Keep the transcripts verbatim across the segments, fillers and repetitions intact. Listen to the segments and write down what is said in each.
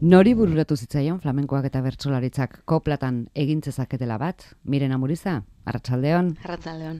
Nori bururatu zitzaion flamenkoak eta bertsolaritzak koplatan egin zezaketela bat? Miren Amuriza, arratsaldeon. Arratsaldeon.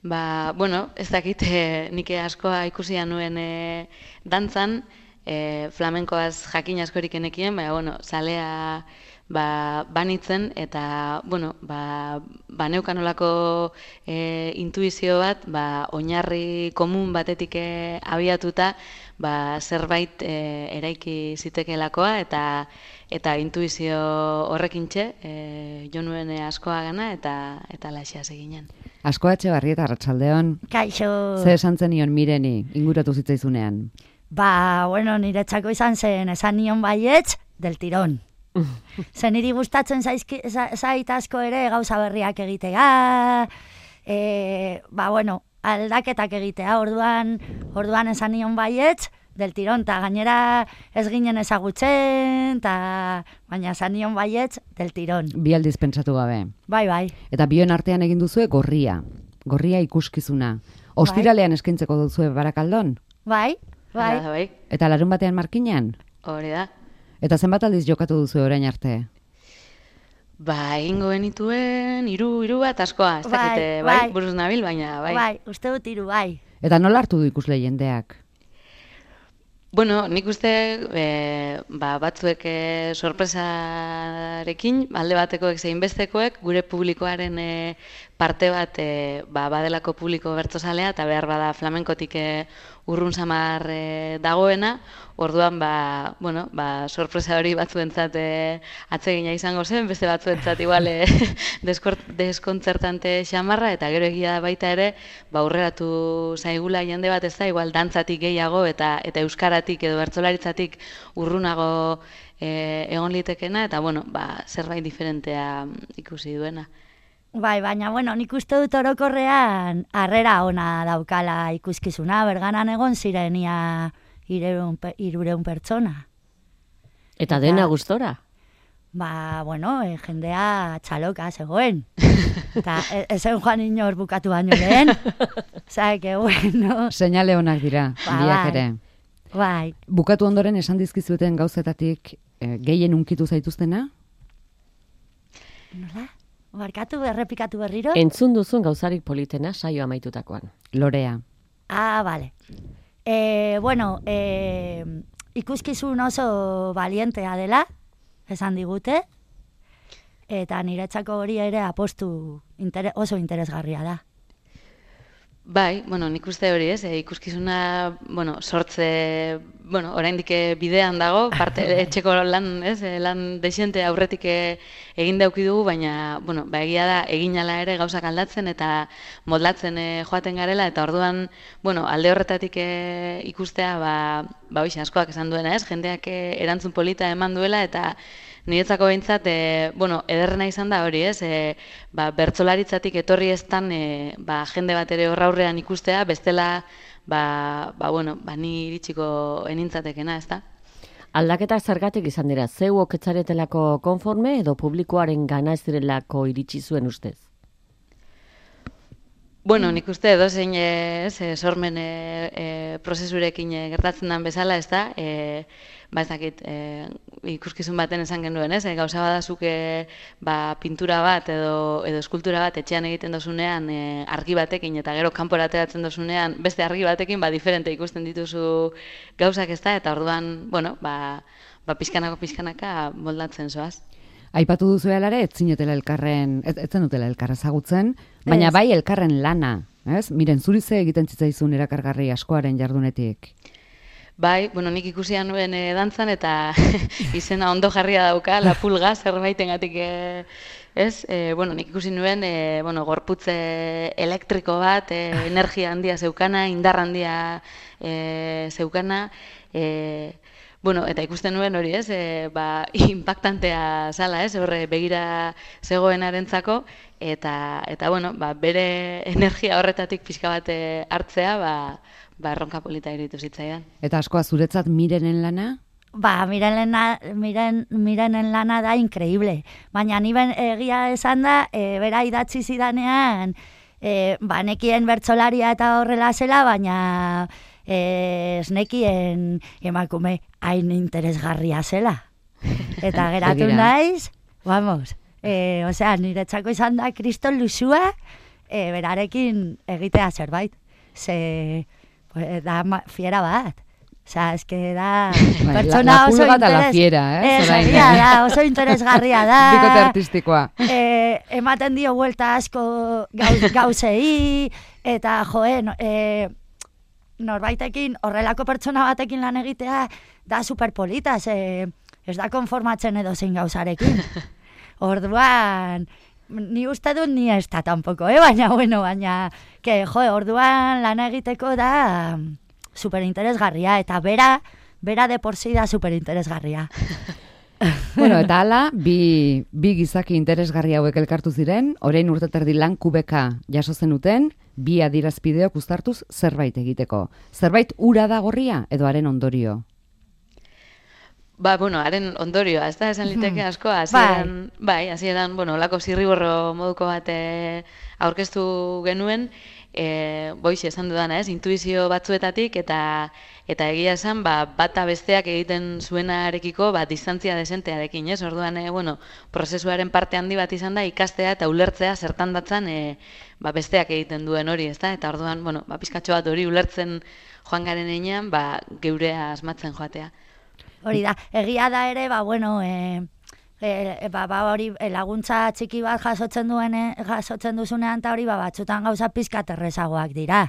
Ba, bueno, ez dakit, eh, nik askoa ikusia nuen eh, dantzan, eh, flamenkoaz jakin askorik enekien, baina, bueno, zalea ba, banitzen, eta, bueno, ba, baneukan olako eh, intuizio bat, ba, oinarri komun batetik eh, abiatuta, ba, zerbait eh, eraiki zitekeelakoa, eta eta intuizio horrekintxe, eh, jo nuen askoa gana, eta, eta laixea seginen. Asko Etxebarri eta arratsaldeon. Kaixo. Ze esan zenion Mireni, inguratu zitzaizunean? Ba, bueno, niretzako izan zen, esan nion baietz, del tirón. Zen niri gustatzen zaizki, zait asko ere gauza berriak egitea, e, ba, bueno, aldaketak egitea, orduan, orduan esan nion baietz, del tirón, eta gainera ez ginen ezagutzen, ta, baina esan nion baietz, del tirón. Bi aldiz pentsatu gabe. Bai, bai. Eta bion artean egin duzue gorria. Gorria ikuskizuna. Ostiralean eskaintzeko duzue Barakaldon? Bai, bai. Hala, bai. Eta larun batean Markinan? Hori da. Eta zenbat aldiz jokatu duzue orain arte? Ba, egingo genituen, hiru hiru bat askoa, ez Bai, dakite, bai, bai. buruz nabil, baina, bai. Bai, uste dut hiru, bai. Eta nola hartu du ikusle jendeak? Bueno, nik uste e, ba, batzuek e, sorpresarekin, alde batekoek zein bestekoek, gure publikoaren e, parte bat e, ba, badelako publiko bertsozalea, eta behar bada flamenkotik e, urrun samar e, dagoena, orduan ba, bueno, ba, sorpresa hori batzuentzat e, atsegina izango zen, beste batzuentzat igual e, deskontzertante xamarra, eta gero egia da baita ere, ba, aurreratu zaigula jende bat ez da, igual dantzatik gehiago eta eta euskaratik edo bertsolaritzatik urrunago e, egon litekena, eta bueno, ba, zerbait diferentea ikusi duena. Bai, baina, bueno, nik uste dut orokorrean harrera ona daukala ikuskizuna, berganan egon ziren ia hirureun pertsona. Eta dena gustora? Ba, bueno, e, jendea txaloka zegoen. Eta ezen joan inor bukatu baino lehen. Osea, que bueno. Seinale onak dira, ba, biak bai. ere. Bai. Bukatu ondoren esan dizkizueten gauzetatik eh, gehien unkitu zaituztena? Nola? Barkatu, errepikatu berriro? Entzun duzun gauzarik politena saio amaitutakoan. Lorea. Ah, vale. E, bueno, e, ikuskizun oso valientea dela, esan digute, eta niretzako hori ere apostu inter- oso interesgarria da. Bai, bueno, nik uste hori ez, e, ikuskizuna, bueno, sortze, bueno, oraindik bidean dago, parte etxeko lan, ez, e, lan dexente aurretik e, egin dauki dugu, baina, bueno, ba, egia da, egin ala ere gauzak aldatzen eta modlatzen e, joaten garela, eta orduan, bueno, alde horretatik e, ikustea, ba, ba, oixe, askoak esan duena, ez, jendeak e, erantzun polita eman duela, eta niretzako behintzat, e, bueno, ederrena izan da hori, ez, e, ba, bertsolaritzatik etorri eztan e, ba, jende bat ere horra aurrean ikustea, bestela, ba, ba, bueno, ba, ni iritsiko enintzatekena, ez da? Aldaketak zergatik izan dira, zeu oketzaretelako konforme edo publikoaren gana ez direlako iritsi zuen ustez? Bueno, nik uste edo zein ez, e, sormen e, e, prozesurekin e, gertatzen den bezala, ez da, e, ba ez dakit, e, ikuskizun baten esan genuen, ez, e, gauza badazuk e, ba, pintura bat edo, edo eskultura bat etxean egiten dozunean e, argi batekin eta gero kanpora ateratzen dozunean beste argi batekin, ba, diferente ikusten dituzu gauzak, ez da, eta orduan, bueno, ba, ba pizkanako pizkanaka moldatzen zoaz. Aipatu duzu alare, ez zinetela elkarren, ez, ez zenutela elkarra ezagutzen, baina bai elkarren lana, ez? Miren, zuri ze egiten zitzaizun erakargarri askoaren jardunetik? Bai, bueno, nik ikusia nuen e, dantzan eta izena ondo jarria dauka, la pulga, zerbaitengatik e, ez? E, bueno, nik ikusi nuen, e, bueno, gorputze elektriko bat, e, energia handia zeukana, indar handia e, zeukana, e, bueno, eta ikusten nuen hori, ez, e, ba, impactantea zala, ez, horre begira zegoenarentzako, eta, eta bueno, ba, bere energia horretatik pixka bat hartzea, ba, ba, erronka polita iritu zitzaidan. Eta askoa zuretzat Mirenen lana? Ba, Mirenen, miren, Mirenen lana da increíble, baina ni ben egia esan da, e, bera idatzi zidanean, e, ba, nekien bertsolaria eta horrela zela, baina e, esnekien emakume hain interesgarria zela. Eta geratu naiz, vamos, e, osea, niretzako izan da kriston lusua, e, berarekin egitea zerbait. Ze, pues, da fiera bat. Osea, es que da pertsona oso interes... La fiera, eh? Eh, da, oso interesgarria da. Bikote artistikoa. Eh, ematen dio vuelta asko gauz, gauzei, eta joe, no, eh, norbaitekin, horrelako pertsona batekin lan egitea, da superpolita, ze, ez da konformatzen edo zein gauzarekin. Orduan, ni uste dut ni ez da tampoko, eh? Baina, bueno, baina, que, joe, orduan lan egiteko da... superinteresgarria, eta bera, bera de por sí da superinteresgarria. Bueno, eta hala, bi, bi gizaki interesgarri hauek elkartu ziren, orain urteterdi lan kubeka jaso zenuten, bi adierazpideok uztartuz zerbait egiteko. Zerbait ura da gorria edo haren ondorio? Ba, bueno, haren ondorioa, ez da, esan liteke asko, hasieran, bai, hasieran, bueno, olako zirriborro moduko bat aurkeztu genuen, E, boixe esan dudana, ez, intuizio batzuetatik eta eta egia esan, ba, bata besteak egiten zuenarekiko, ba, distantzia desentearekin, ez? Orduan, e, bueno, prozesuaren parte handi bat izan da ikastea eta ulertzea zertan datzan e, ba, besteak egiten duen hori, ez da? Eta orduan, bueno, ba, pizkatxo bat hori ulertzen joan garen einean, ba, geurea asmatzen joatea. Hori da, egia da ere, ba, bueno, e... E, ba, ba, hori laguntza txiki bat jasotzen duen jasotzen duzunean eta hori ba, batzutan gauza pizkat errezagoak dira.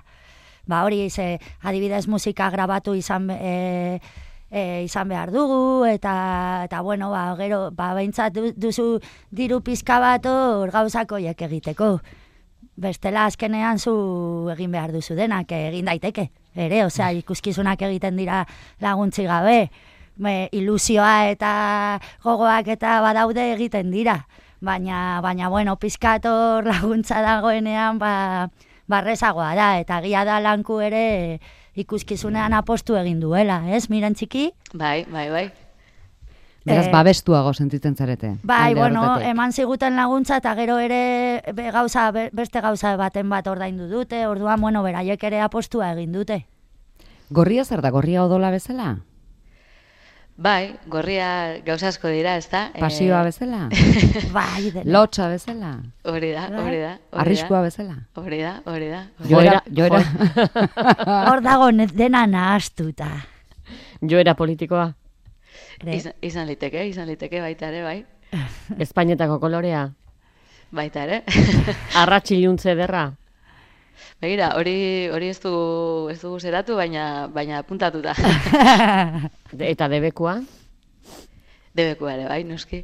Ba, hori ze, adibidez musika grabatu izan, e, e, izan behar dugu eta, eta bueno, ba, gero, ba, behintzat duzu diru pizka bat hor gauzak horiek egiteko. Bestela azkenean zu egin behar duzu denak, egin daiteke. Ere, osea, ikuskizunak egiten dira laguntzi gabe. Me, ilusioa eta gogoak eta badaude egiten dira. Baina, baina bueno, pizkator laguntza dagoenean, ba, barrezagoa da. Eta gia da lanku ere ikuskizunean apostu egin duela, ez, miren txiki? Bai, bai, bai. Beraz, babestuago sentitzen zarete. Bai, bueno, horretetek. Eman ziguten laguntza eta gero ere be, gauza, beste gauza baten bat ordaindu dute, orduan, bueno, beraiek ere apostua egin dute. Gorria zer da, gorria odola bezala? Bai, gorria gauza asko dira, ez da? Pasioa bezala? Bai, dela. Lotxa bezala? Hori da, hori da. Arriskua bezala? Hori da, hori da. Joera, joera. Hor dago dena nahastuta. Joera politikoa? Izan, izan liteke, izan liteke baita ere, bai. Espainetako kolorea? Baita ere. Arratxiluntze derra? Begira, hori hori ez du ez dugu zeratu, baina baina puntatuta. Eta debekua? Debekua ere, bai, noski.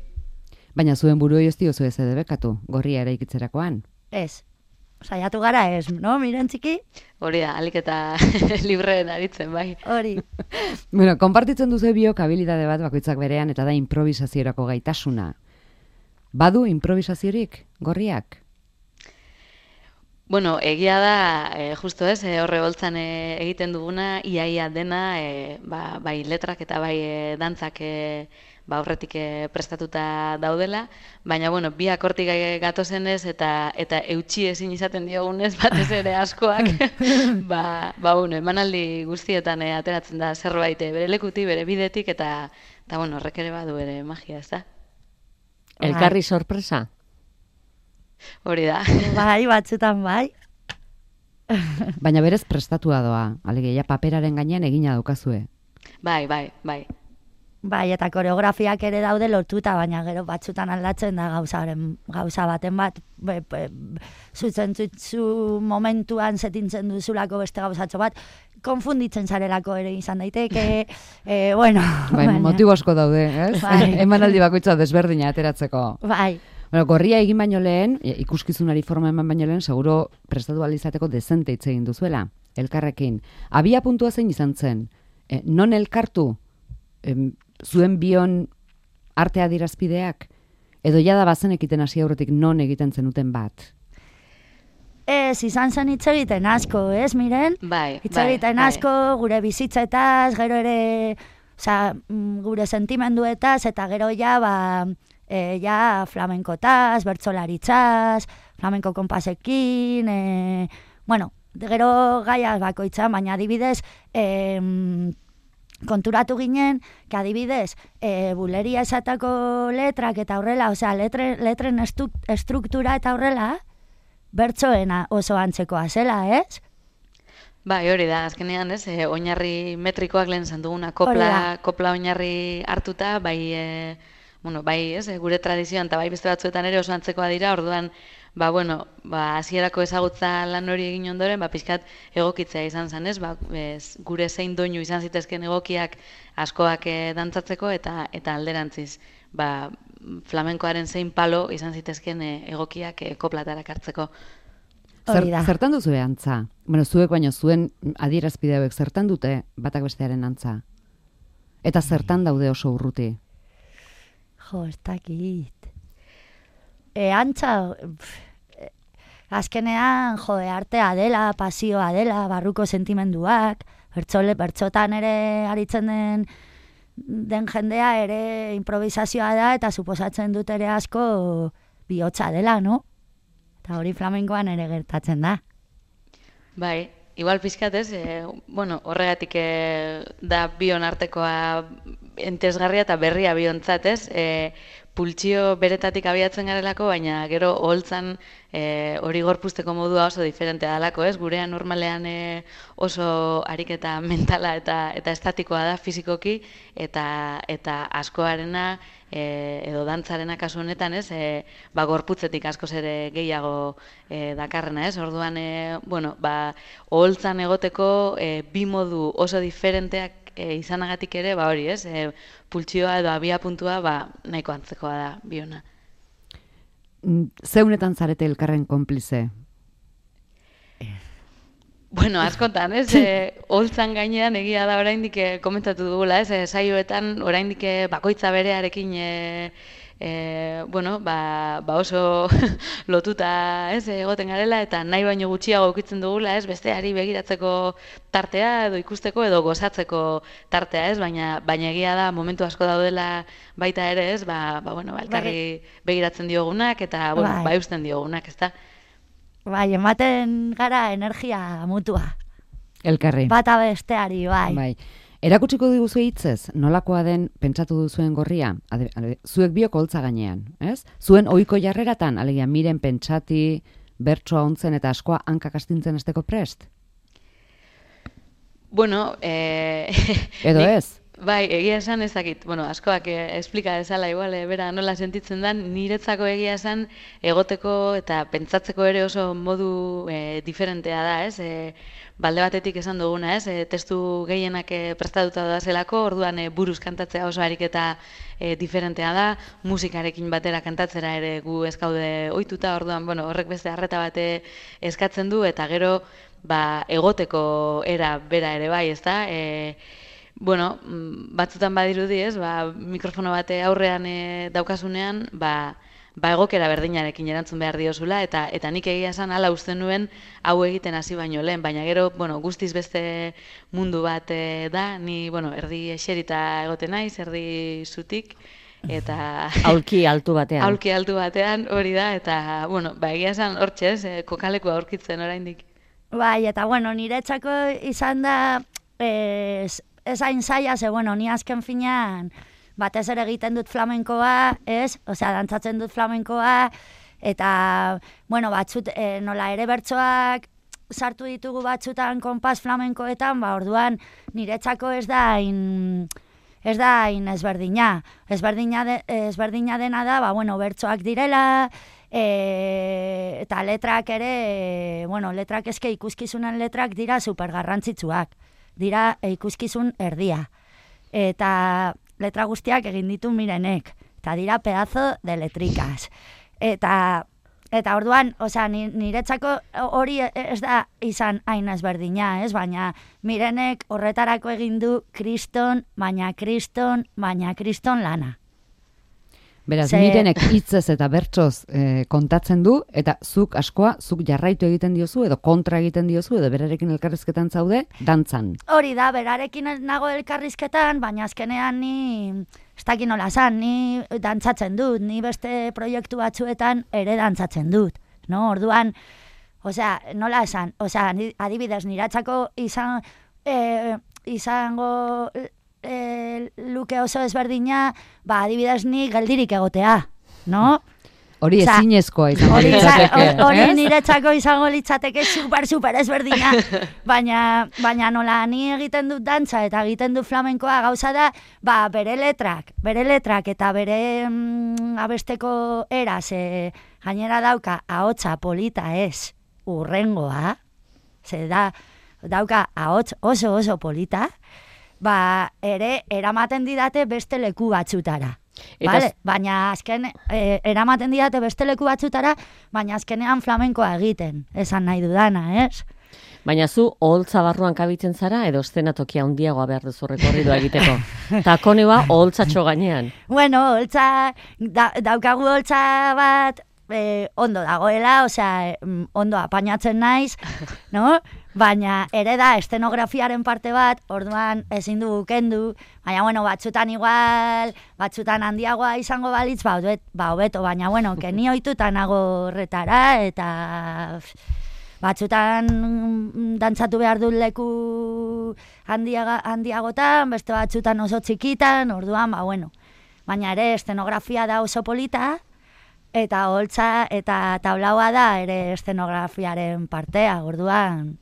Baina zuen buruei ez diozu ez debekatu, gorria eraikitzerakoan? Ez. Saiatu gara ez, no, miren txiki? Hori da, alik eta libreen aritzen, bai. Hori. Bueno, konpartitzen duzu biok habilidade bat bakoitzak berean eta da improvisaziorako gaitasuna. Badu improvisaziorik, gorriak? Bueno, egia da, e, justo ez, e, horre boltzan e, egiten duguna, iaia dena, e, ba, bai letrak eta bai e, dantzak e, ba, horretik e, prestatuta daudela, baina, bueno, biak hortik gatozenez eta eta eutxi ezin izaten diogunez, batez ere askoak, ba, ba, bueno, emanaldi guztietan e, ateratzen da zerbait e, bere lekuti, bere bidetik, eta, eta bueno, horrek ere badu ere magia, ez da? Elkarri sorpresa? Hori da. Bai, batzutan bai. Baina berez prestatua doa, alegia paperaren gainean egina daukazue. Bai, bai, bai. Bai, eta koreografiak ere daude lotuta, baina gero batzutan aldatzen da gauzaren, gauza baten bat, be, be, zutzen zu momentuan zetintzen duzulako beste gauzatxo bat, konfunditzen zarelako ere izan daiteke, e, bueno. Bai, baina, motibo asko daude, ez? Bai. Emanaldi bakoitza desberdina ateratzeko. Bai. Bueno, gorria egin baino lehen, ikuskizunari forma eman baino lehen, seguro prestatu alizateko dezente hitz egin duzuela, elkarrekin. Abia puntua zein izan zen, e, non elkartu e, zuen bion arte adierazpideak, edo jada bazen ekiten hasi aurretik non egiten zenuten bat? Ez, izan zen hitz egiten asko, ez, miren? Bai, hitz egiten bai, asko, bai. Gure bizitzetaz, gero ere, oza, gure sentimenduetaz, eta gero ja, ba... E, ja, flamenkotaz, bertsolaritzaz, flamenko konpasekin, e, bueno, gero gaia bakoitza, baina adibidez, em, konturatu ginen, que adibidez, e, buleria esatako letrak eta horrela, osea, letre, letren estu, estruktura eta horrela, bertsoena oso antzekoa zela, ez? Bai, hori da, azkenean, ez, e, oinarri metrikoak lehen esan duguna, kopla, kopla oinarri hartuta, bai, e, bueno, bai, ez, e, gure tradizioan, eta bai beste batzuetan ere oso antzekoa dira, orduan, ba, bueno, ba, hasierako ezagutza lan hori egin ondoren, ba, pixkat egokitzea izan zen, ez, ba, ez, gure zein doinu izan zitezken egokiak askoak e, dantzatzeko, eta eta alderantziz, ba, flamenkoaren zein palo izan zitezken e, egokiak e, koplatarak hartzeko. Zer, zertan duzu antza? Bueno, zuek baino zuen adierazpide hauek zertan dute batak bestearen antza? Eta zertan daude oso urruti? Jo, ez dakit. E, antza, pff, azkenean, jo, artea dela, pasioa dela, barruko sentimenduak, bertzole, bertzotan ere aritzen den, den jendea ere improvisazioa da, eta suposatzen dut ere asko bihotza dela, no? Eta hori flamenkoan ere gertatzen da. Bai, igual pizkat ez, e, bueno, horregatik e, da bion artekoa entesgarria eta berria biontzat ez, e, pultsio beretatik abiatzen garelako, baina gero oholtzan e, hori gorpuzteko modua oso diferentea dalako, ez? Gurean normalean e, oso ariketa mentala eta eta estatikoa da fisikoki, eta eta askoarena e, edo dantzarena kasu honetan, ez? E, ba gorputzetik askoz ere gehiago e, dakarrena, ez? Orduan e, bueno, ba oholtzan egoteko e, bi modu oso diferenteak E, izanagatik ere, ba hori, ez, e, pultsioa edo abia puntua, ba, nahiko antzekoa da, biona. Zeunetan zarete elkarren konplize? Bueno, askotan, ez, e, holtzan gainean egia da oraindik e, komentatu dugula, ez, e, saioetan oraindik bakoitza berearekin e, E, bueno, ba, ba oso lotuta ez egoten garela eta nahi baino gutxiago ukitzen dugula, ez, besteari begiratzeko tartea edo ikusteko edo gozatzeko tartea, ez, baina baina egia da momentu asko daudela baita ere, ez, ba, ba bueno, ba, elkarri begiratzen diogunak eta bueno, bai. ba eusten diogunak, ezta. Bai, ematen gara energia mutua. Elkarri. Bata besteari, bai. Bai. Erakutsiko diguzu hitzez, nolakoa den pentsatu duzuen gorria, ade, ade, zuek biok holtza gainean, ez? Zuen ohiko jarreratan, alegia miren pentsati, bertsoa ontzen eta askoa hankak astintzen esteko prest? Bueno, eh... edo nik, ez? Bai, egia esan ez dakit, bueno, askoak eh, esplika dezala, igual, eh, bera nola sentitzen dan, niretzako egia esan egoteko eta pentsatzeko ere oso modu eh, diferentea da, ez? Eh, balde batetik esan duguna, ez? E, testu gehienak e, prestatuta da zelako, orduan e, buruz kantatzea oso ariketa e, diferentea da, musikarekin batera kantatzera ere gu ez gaude ohituta, orduan, bueno, horrek beste arreta bate eskatzen du, eta gero, ba, egoteko era bera ere bai, ezta? E, bueno, batzutan badirudi, ez? Ba, mikrofono bate aurrean e, daukasunean, ba, ba egokera berdinarekin erantzun behar diozula, eta eta nik egia esan hala uste nuen hau egiten hasi baino lehen, baina gero, bueno, guztiz beste mundu bat e, da, ni, bueno, erdi eserita egoten naiz, erdi zutik, eta... Aulki altu batean. Aulki altu batean, hori da, eta, bueno, ba egia esan hortxe ez, e, kokalekua aurkitzen oraindik. Bai, eta, bueno, niretzako izan da, ez, ez hain zaila, ze, bueno, ni azken finean, batez ere egiten dut flamenkoa, ez? Osea, dantzatzen dut flamenkoa, eta, bueno, batzut, e, nola ere bertsoak sartu ditugu batzutan konpas flamenkoetan, ba, orduan, niretzako ez da in, ez da in ezberdina. Ezberdina, de, ezberdina dena da, ba, bueno, bertsoak direla, e, eta letrak ere, e, bueno, letrak eske ikuskizunen letrak dira supergarrantzitsuak. Dira e, ikuskizun erdia. Eta letra guztiak egin ditu Mirenek, eta dira pedazo de letrikas. Eta, eta orduan, osea, niretzako hori ez da izan hain ezberdina, ez? Baina Mirenek horretarako egin du kriston, baina kriston, baina kriston lana. Beraz, Ze... Mirenek hitzez eta bertsoz eh, kontatzen du, eta zuk askoa, zuk jarraitu egiten diozu, edo kontra egiten diozu, edo berarekin elkarrizketan zaude, dantzan. Hori da, berarekin nago elkarrizketan, baina azkenean ni, ez dakit nola zan, ni dantzatzen dut, ni beste proiektu batzuetan ere dantzatzen dut. No? Orduan, osea, nola esan, osea, adibidez, niratxako izan, e, izango e, luke oso ezberdina, ba, adibidez ni geldirik egotea, no? Hori ezinezkoa izango litzateke. Hori niretzako izango litzateke super, super ezberdina. Baina, baina nola ni egiten dut dantza eta egiten dut flamenkoa gauza da, ba, bere letrak, bere letrak eta bere mm, abesteko eraz, e, gainera dauka ahotsa polita ez, urrengoa, ze da, dauka ahots oso oso polita, ba, ere eramaten didate beste leku batzutara. Vale, baina azken, eh, eramaten didate beste leku batzutara, baina azkenean flamenkoa egiten, esan nahi dudana, ez? Baina zu, oholtza barruan kabitzen zara, edo eszenatokia handiagoa behar duzu rekorridua egiteko. Takoneba oholtzatxo gainean. Bueno, oholtza, da, daukagu oholtza bat, eh, ondo dagoela, osea, ondo apainatzen naiz, no? Baina ere da estenografiaren parte bat, orduan ezin du kendu, baina bueno, batzutan igual, batzutan handiagoa izango balitz, ba, obet, ba hobeto, baina bueno, keni ohituta nago horretara, eta batzutan dantzatu behar dut leku handiaga, handiagotan, beste batzutan oso txikitan, orduan, ba bueno, baina ere estenografia da oso polita, eta holtza eta tablaua da ere estenografiaren partea, orduan.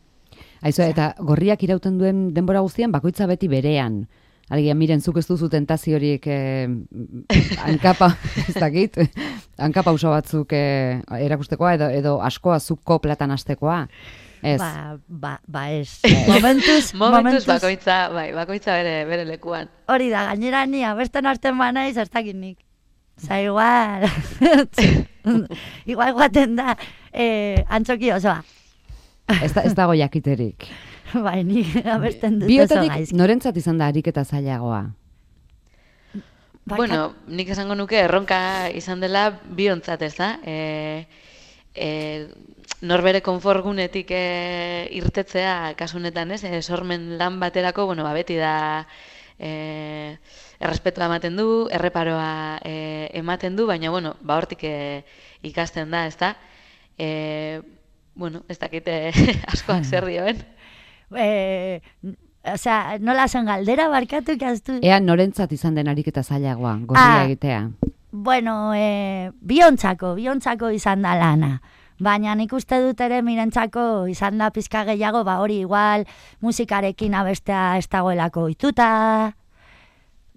Aizu, eta gorriak irauten duen denbora guztian, bakoitza beti berean. Alegia, miren, zuk ez duzu tentaziorik eh, hankapa, ez dakit, hankapa uso batzuk eh, erakustekoa, edo, edo askoa zuk koplatan hastekoa. Ez. Ba, ba, ba ez. Momentuz, momentuz bakoitza, bai, bakoitza bere, bere lekuan. Hori da, gainera ni abesten arten banaiz, ez dakit nik. Osa, igual, igual guaten da, eh, antzoki osoa. Ez, da, ez dago jakiterik. Bai, ni abesten dut oso Biotatik gaizki. norentzat izan da ariketa zailagoa? Bueno, nik esango nuke erronka izan dela biontzat, ez da? E, e, norbere konforgunetik e, irtetzea kasunetan, ez? E, sormen lan baterako, bueno, ba, beti da e, errespetua ematen du, erreparoa e, ematen du, baina, bueno, ba, hortik e, ikasten da, ez da? E, Bueno, ez dakite askoak zer dioen. Eh, osea, nola zen galdera barkatu ikaztu? Ea norentzat izan den ariketa zailagoa, gorria Ah. egitea. Bueno, eh, biontzako, biontzako izan da lana. Baina nik uste dut ere mirentzako izan da pizka gehiago, ba hori igual musikarekin abestea ez dagoelako ohituta,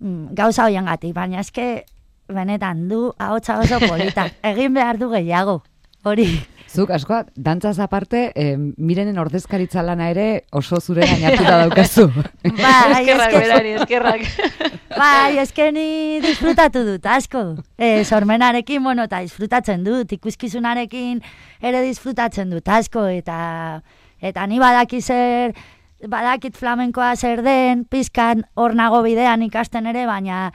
mm, gauza hoiengatik, baina eske benetan du ahotsa oso polita. Egin behar du gehiago, hori. Zuk, askoak, dantzaz aparte, eh, mirenen ordezkaritza lana ere oso zure gainatuta daukazu. Bai, Eskerrak eske, berari, eskerrak. bai, eske ni disfrutatu dut, asko. E, sormenarekin, bueno, eta disfrutatzen dut, ikuskizunarekin ere disfrutatzen dut, asko, eta eta ni badaki zer, badakit flamenkoa zer den, pizkan hor nago bidean ikasten ere, baina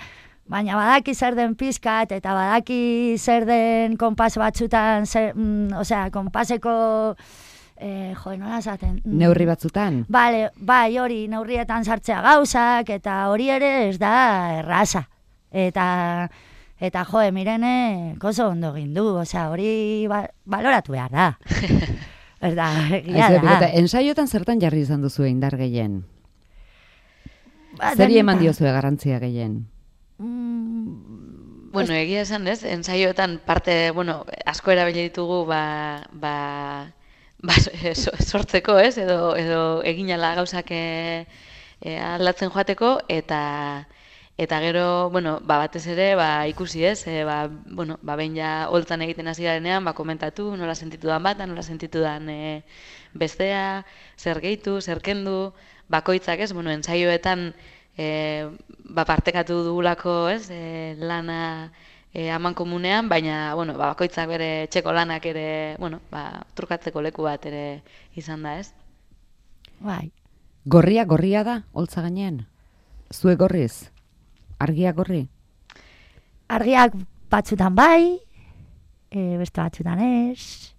baina badaki zer den pizkat, eta badaki zer den konpas batzutan, zer, mm, osea, konpaseko, eh, jo, nola esaten? Mm, Neurri batzutan? Bale, bai, hori, neurrietan sartzea gauzak, eta hori ere ez da erraza. Eta, eta jo, Mirene oso ondo egin du, osea, hori ba, baloratu behar da. Ez da, egia Aizu, da. eta ensaiotan zertan jarri izan duzu indar gehien? Ba, Zeri eman denetan. diozue garrantzia gehien? Mm, Bueno, egia esan, ez? Ensaioetan parte, bueno, asko erabili ditugu ba, ba, ba so- sortzeko, ez? Edo edo eginala gauzak e, e, aldatzen joateko eta eta gero, bueno, ba batez ere, ba ikusi, ez? E, ba, bueno, ba behin ja holtzan egiten hasi garenean, ba komentatu nola sentitudan bata, nola sentitudan e, bestea, zer gehitu, zer kendu, bakoitzak, ez? Bueno, ensaioetan E, ba, partekatu dugulako, ez, e, lana e, aman komunean, baina, bueno, ba, bakoitzak bere txeko lanak ere, bueno, ba, trukatzeko leku bat ere izan da, ez? bai. Gorria, gorria da, holtza gainean? Zue gorriz? Argia gorri? Argiak batzutan bai, e, beste batzutan ez.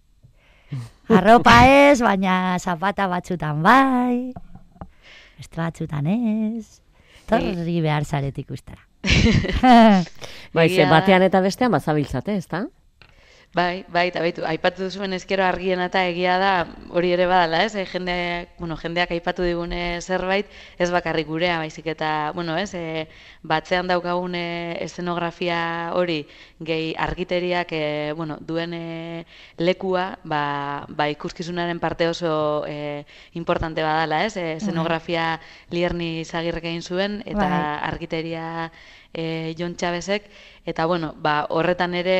Arropa ez, baina zapata batzutan bai, beste batzutan ez. Torri behar zaret ikustara. Bai, ze Egia da. batean eta bestean bazabiltzate, ezta? Bai, bai, eta baitu, aipatu zuen ezkero argiena eta egia da, hori ere badala, ez? E, jendeak, bueno, jendeak aipatu digune zerbait, ez bakarrik gurea, baizik eta, bueno, ez? E, batzean daukagun eszenografia hori, gehi argiteriak, e, bueno, duen e, lekua, ba, ba ikuskizunaren parte oso e, importante badala, ez? E, eszenografia Lierni Izagirrek egin zuen, eta bai. Argiteria e, Jon Txabezek, eta, bueno, ba, horretan ere,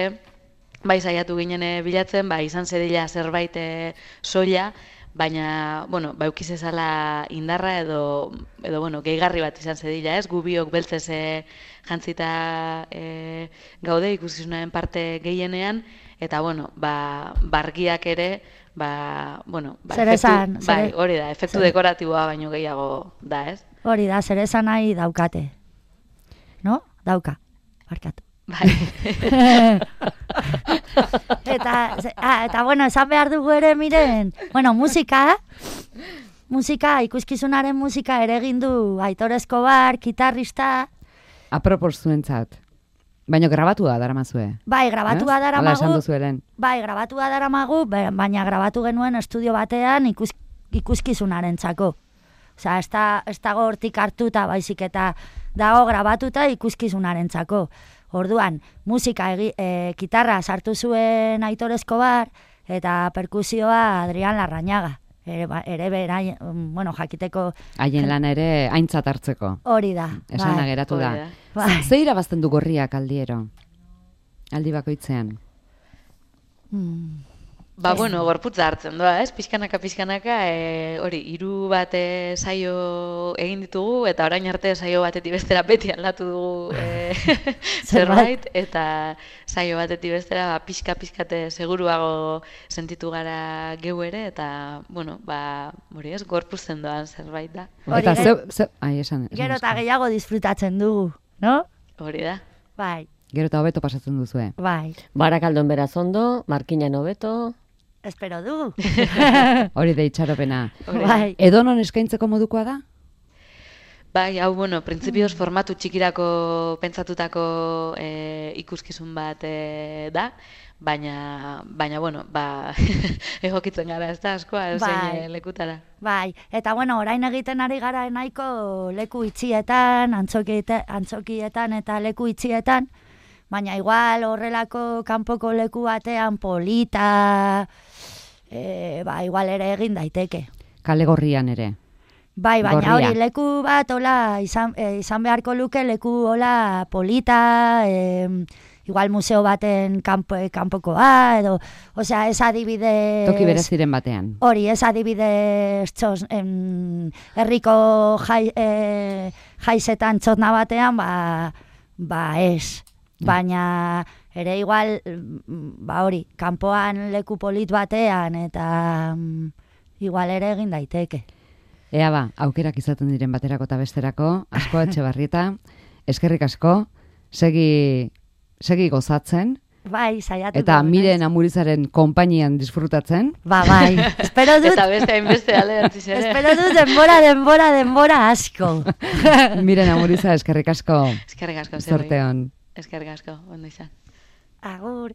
bai saiatu ginen bilatzen, ba, izan zedila zerbait e, soila, baina, bueno, ba, eukiz ezala indarra edo, edo bueno, gehigarri bat izan zedila, ez? Gu biok beltzez e, jantzita e, gaude ikuskizunaren parte gehienean, eta, bueno, ba, bargiak ere, ba, bueno, ba, zer esan, efektu, bai, hori da, efektu zer... dekoratiboa baino gehiago da, ez? Hori da, zer esan nahi daukate. No? Dauka, barkatu. Bai. eta, ah, eta, bueno, esan behar dugu ere, miren, bueno, musika, musika, ikuskizunaren musika ere egin du Aitor Escobar, gitarrista. Apropos zuentzat. Baina grabatua daramazue. Bai, grabatua eh? daramagu. Hala esan duzuelen. Bai, grabatua daramagu, baina grabatu genuen estudio batean ikus, ikuskizunaren txako. Osea, ez da, ez dago hortik hartuta, baizik eta dago grabatuta ikuskizunaren txako. Orduan, musika, egi, e, gitarra sartu zuen Aitor Escobar, eta perkusioa Adrián Larrañaga. Ere, ere bera, bueno, jakiteko... Haien lana ere aintzat hartzeko. Hori da. Esana bai. geratu da. Bai. Ze irabazten du Gorriak aldiero? Aldi bakoitzean? Hmm. Ba, bueno, gorputza hartzen doa, ez? Pixkanaka, pixkanaka, e, hori, hiru bat e, saio egin ditugu, eta orain arte saio batetik bestera beti aldatu dugu e, zerbait, eta saio batetik bestera ba, pixka-pixkate seguruago sentitu gara geu ere, eta, bueno, ba, hori ez, gorpuzten doan zerbait da. Eta ze, ze, ai, esan, esan gero eta gehiago disfrutatzen dugu, no? Hori da. Bai. Gero eta hobeto pasatzen duzue. Bai. Barakaldon beraz ondo, Markinan hobeto. Espero du. Hori da itxaropena. Bai. Edonon eskaintzeko modukoa da? Bai, hau, bueno, printzipioz formatu txikirako pentsatutako e, ikuskizun bat e, da, baina, baina, bueno, ba, egokitzen gara, ez da, askoa, eusein bai. lekutara. Bai, eta, bueno, orain egiten ari gara nahiko leku itxietan, antzokietan, antzokietan eta leku itxietan, baina igual horrelako kanpoko leku batean polita, e, ba, igual ere egin daiteke. Kale Gorrian ere. Bai, baina Gorria. hori leku bat hola izan, e, izan beharko luke leku hola polita, e, igual museo baten kanpo, kanpokoa, edo, osea, ez adibidez... Toki bereziren batean. Hori, ez adibidez txos, em, herriko jai, e, jaizetan txotna batean, ba, ba ez. Baina ere igual, ba hori, kanpoan leku polit batean, eta um, igual ere egin daiteke. Ea ba, aukerak izaten diren baterako eta besterako, asko Etxebarrieta, eskerrik asko, segi, segi gozatzen, bai, saiatu. Eta Miren Amurizaren konpainian disfrutatzen. Ba, bai, espero dut... Eta beste hainbeste alderantziz ere. Espero dut denbora, denbora, denbora asko. Miren Amuriza, eskerrik asko. Eskerrik asko, Zorte on. Eskerrik asko, ondo izan. Agur.